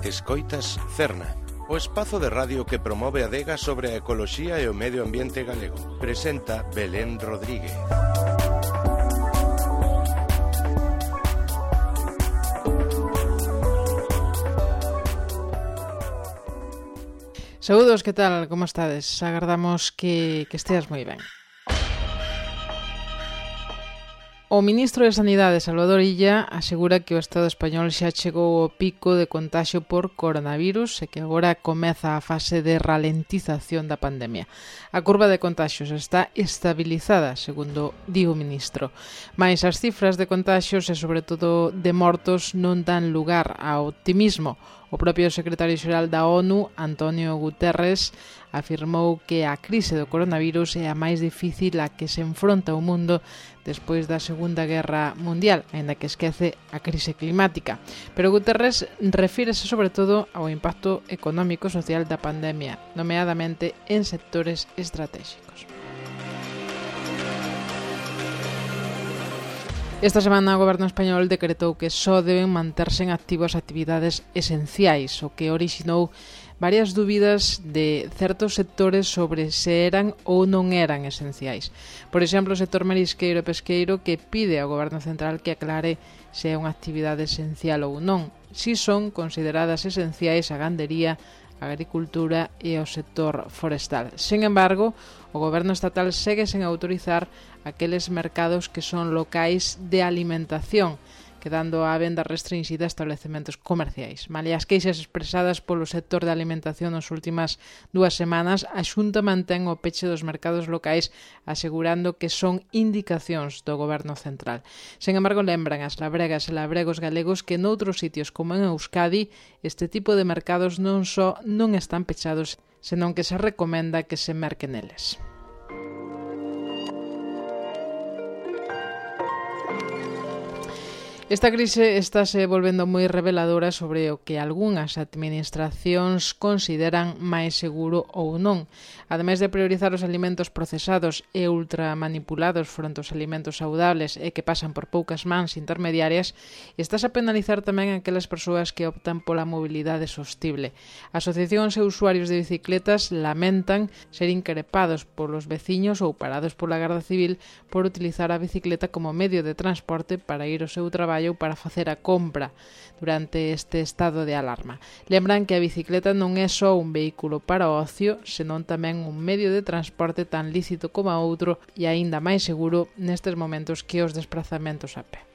Escoitas Cerna, o espazo de radio que promove a adega sobre a ecoloxía e o medio ambiente galego. Presenta Belén Rodríguez. Saúdos, que tal? Como estades? Agardamos que esteas moi ben. O ministro de Sanidade, Salvador Illa, asegura que o Estado español xa chegou ao pico de contaxio por coronavirus e que agora comeza a fase de ralentización da pandemia. A curva de contaxios está estabilizada, segundo di o ministro. Mais as cifras de contaxios e, sobre todo, de mortos non dan lugar ao optimismo. O propio secretario xeral da ONU, Antonio Guterres, afirmou que a crise do coronavirus é a máis difícil a que se enfronta o mundo despois da Segunda Guerra Mundial, aínda que esquece a crise climática. Pero Guterres refírese sobre todo ao impacto económico e social da pandemia, nomeadamente en sectores estratégicos. Esta semana o Goberno español decretou que só deben manterse en activo as actividades esenciais, o que orixinou varias dúbidas de certos sectores sobre se eran ou non eran esenciais. Por exemplo, o sector marisqueiro e pesqueiro, que pide ao Goberno central que aclare se é unha actividade esencial ou non. Si son consideradas esenciais a gandería, a agricultura e o sector forestal. Sen embargo, o Goberno estatal segue sen autorizar aqueles mercados que son locais de alimentación, quedando á venda restringida a establecementos comerciais. Malia as queixas expresadas polo sector de alimentación nas últimas 2 semanas, a Xunta mantén o peche dos mercados locais, asegurando que son indicacións do Goberno central. Sen embargo, lembran as labregas e labregos galegos que noutros sitios como en Euskadi este tipo de mercados non só non están pechados, senón que se recomenda que se merque neles. Esta crise estáse volvendo moi reveladora sobre o que algunhas administracións consideran máis seguro ou non. Ademais de priorizar os alimentos procesados e ultramanipulados fronte aos alimentos saudables e que pasan por poucas mans intermediarias, estás a penalizar tamén aquelas persoas que optan pola mobilidade sostible. Asociacións e usuarios de bicicletas lamentan ser increpados polos veciños ou parados pola Garda Civil por utilizar a bicicleta como medio de transporte para ir ao seu traballo ou para facer a compra durante este estado de alarma. Lembran que a bicicleta non é só un vehículo para o ocio, senón tamén un medio de transporte tan lícito como a outro e aínda máis seguro nestes momentos que os desplazamentos a pé.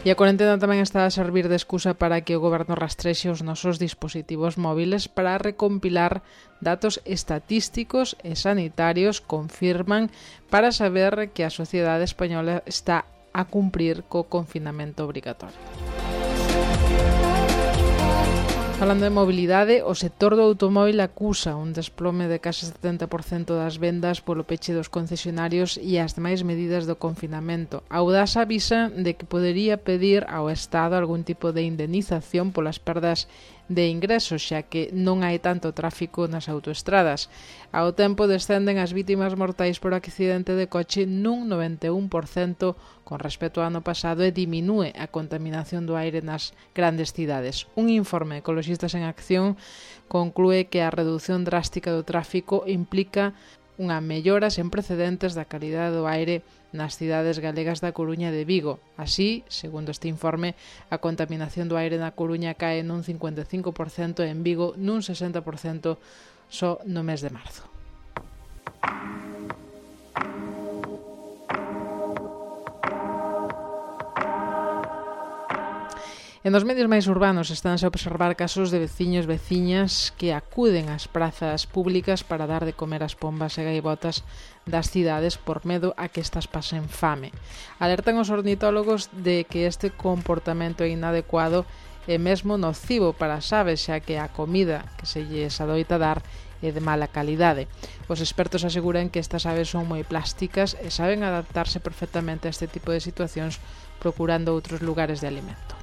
E a cuarentena tamén está a servir de excusa para que o Goberno rastrexe os nosos dispositivos móviles para recompilar datos estatísticos e sanitarios, confirman, para saber que a sociedade española está a cumprir co confinamento obrigatorio. Falando de mobilidade, o sector do automóvil acusa un desplome de case 70% das vendas polo peche dos concesionarios e as demais medidas do confinamento. A Audasa avisa de que podería pedir ao Estado algún tipo de indemnización polas perdas de ingresos, xa que non hai tanto tráfico nas autoestradas. Ao tempo descenden as vítimas mortais por accidente de coche nun 91% con respecto ao ano pasado e diminúe a contaminación do aire nas grandes cidades. Un informe Ecoloxistas en Acción conclúe que a reducción drástica do tráfico implica unha mellora sen precedentes da calidade do aire nas cidades galegas da Coruña e de Vigo. Así, segundo este informe, a contaminación do aire na Coruña cae nun 55% e en Vigo nun 60% só no mes de marzo. E nos medios máis urbanos estánse a observar casos de veciños e veciñas que acuden ás prazas públicas para dar de comer as pombas e gaivotas das cidades por medo a que estas pasen fame. Alertan os ornitólogos de que este comportamento é inadecuado e mesmo nocivo para as aves, xa que a comida que se lles adoita dar é de mala calidade. Os expertos aseguran que estas aves son moi plásticas e saben adaptarse perfectamente a este tipo de situacións procurando outros lugares de alimento.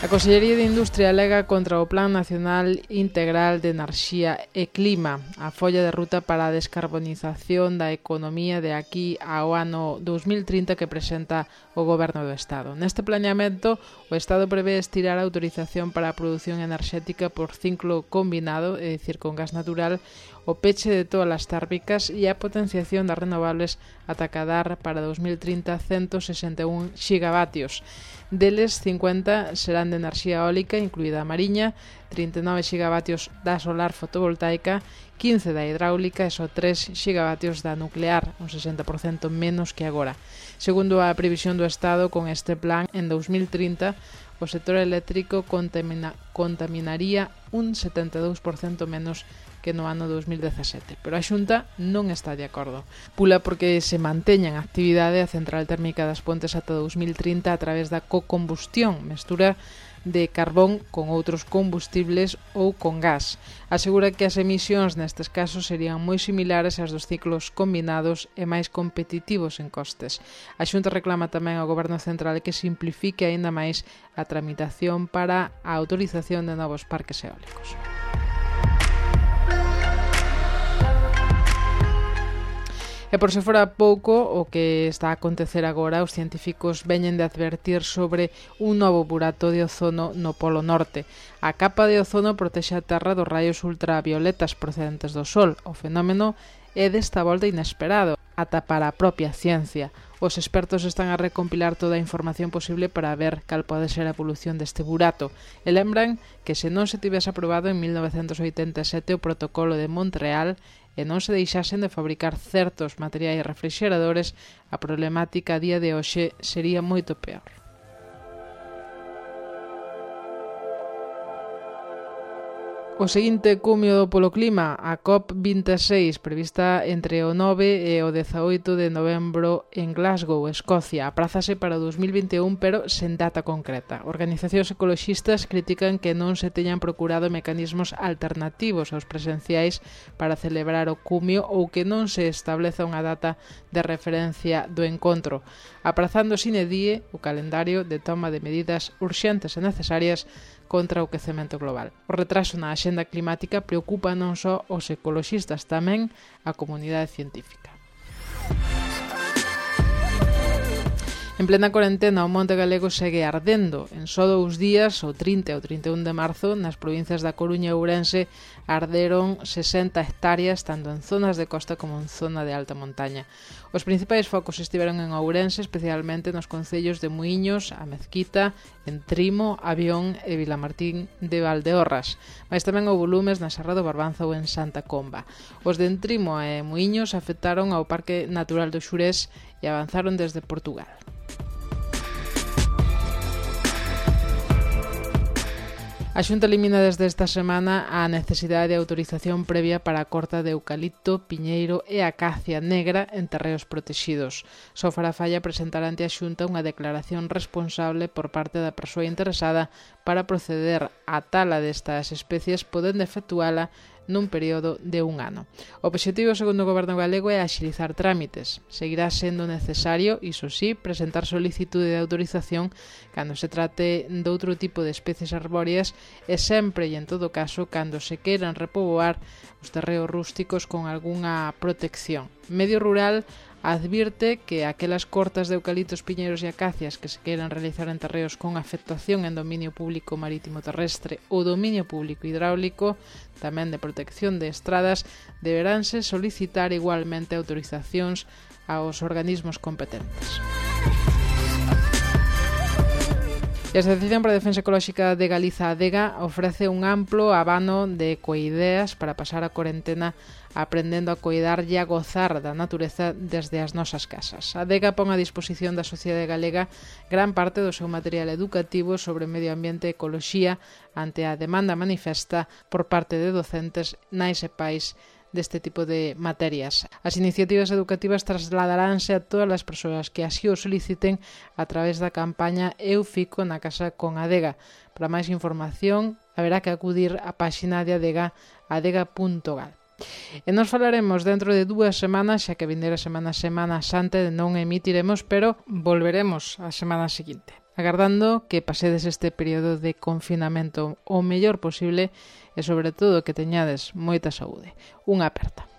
A Consellería de Industria alega contra o Plan Nacional Integral de Enerxía e Clima, a folla de ruta para a descarbonización da economía de aquí ao ano 2030 que presenta o Goberno do Estado. Neste planeamento, o Estado prevé estirar a autorización para a produción enerxética por ciclo combinado, é dicir, con gas natural, o peche de todas as térmicas e a potenciación das renovables ata cadar para 2030 161 gigavatios. Deles, 50 serán de enerxía eólica, incluída a mariña, 39 gigavatios da solar fotovoltaica, 15 da hidráulica e só 3 gigavatios da nuclear, un 60% menos que agora. Segundo a previsión do Estado, con este plan, en 2030, o sector eléctrico contaminaría un 72% menos que no ano 2017, pero a Xunta non está de acordo. Pula porque se manteña en actividade a central térmica das Pontes ata 2030 a través da cocombustión, mestura de carbón con outros combustibles ou con gas. Asegura que as emisións nestes casos serían moi similares ás dos ciclos combinados e máis competitivos en costes. A Xunta reclama tamén ao Goberno Central que simplifique aínda máis a tramitación para a autorización de novos parques eólicos. E por se fora pouco, o que está a acontecer agora, os científicos veñen de advertir sobre un novo burato de ozono no Polo Norte. A capa de ozono protexe a Terra dos raios ultravioletas procedentes do Sol. O fenómeno é desta volta inesperado, ata para a propia ciencia. Os expertos están a recompilar toda a información posible para ver cal pode ser a evolución deste burato. E lembran que se non se tivese aprobado en 1987 o protocolo de Montreal e non se deixasen de fabricar certos materiais refrixeradores, a problemática a día de hoxe sería moito peor. O seguinte cumio do Polo Clima, a COP26, prevista entre o 9 e o 18 de novembro en Glasgow, Escocia, aprázase para o 2021, pero sen data concreta. Organizacións ecoloxistas critican que non se teñan procurado mecanismos alternativos aos presenciais para celebrar o cumio ou que non se estableza unha data de referencia do encontro, aprazando sine die o calendario de toma de medidas urxentes e necesarias contra o quecemento global. O retraso na axenda climática preocupa non só os ecoloxistas, tamén a comunidade científica. En plena cuarentena, o monte galego segue ardendo. En só 2 días, o 30 e o 31 de marzo, nas provincias da Coruña e Ourense, arderon 60 hectáreas, tanto en zonas de costa como en zona de alta montaña. Os principais focos estiveron en Ourense, especialmente nos concellos de Muíños, A Mezquita, Entrimo, Avión e Vilamartín de Valdeorras, mas tamén houbo lumes na Serra do Barbanza ou en Santa Comba. Os de Entrimo e Muíños afectaron ao Parque Natural do Xurés e avanzaron desde Portugal. A Xunta elimina desde esta semana a necesidade de autorización previa para a corta de eucalipto, piñeiro e acacia negra en terreos protexidos. Só fará falla presentar ante a Xunta unha declaración responsable por parte da persoa interesada para proceder á tala destas especies, podendo efectuala nun período de 1 ano. O obxectivo, segundo o Goberno galego, é axilizar trámites. Seguirá sendo necesario, iso sí, presentar solicitude de autorización cando se trate de outro tipo de especies arbóreas e sempre e en todo caso cando se queiran repoboar os terreos rústicos con algunha protección. Medio Rural advirte que aquelas cortas de eucaliptos, piñeiros e acacias que se queiran realizar en terreos con afectación en dominio público marítimo terrestre ou dominio público hidráulico, tamén de protección de estradas, deberánse solicitar igualmente autorizacións aos organismos competentes. A Asociación para a Defensa Ecolóxica de Galiza, ADEGA, ofrece un amplo abano de ecoideas para pasar a cuarentena aprendendo a coidar e a gozar da natureza desde as nosas casas. A ADEGA pon a disposición da sociedade galega gran parte do seu material educativo sobre medio ambiente e ecoloxía ante a demanda manifesta por parte de docentes, nais e pais deste tipo de materias. As iniciativas educativas trasladaránse a todas as persoas que así o soliciten a través da campaña Eu Fico na Casa con Adega. Para máis información, haberá que acudir á páxina de Adega, adega.gal. E nos falaremos dentro de 2 semanas, xa que vindeira Semana Santa non emitiremos, pero volveremos a semana seguinte. agardando que pasedes este período de confinamento o mellor posible e sobre todo que teñades moita saúde. Unha aperta.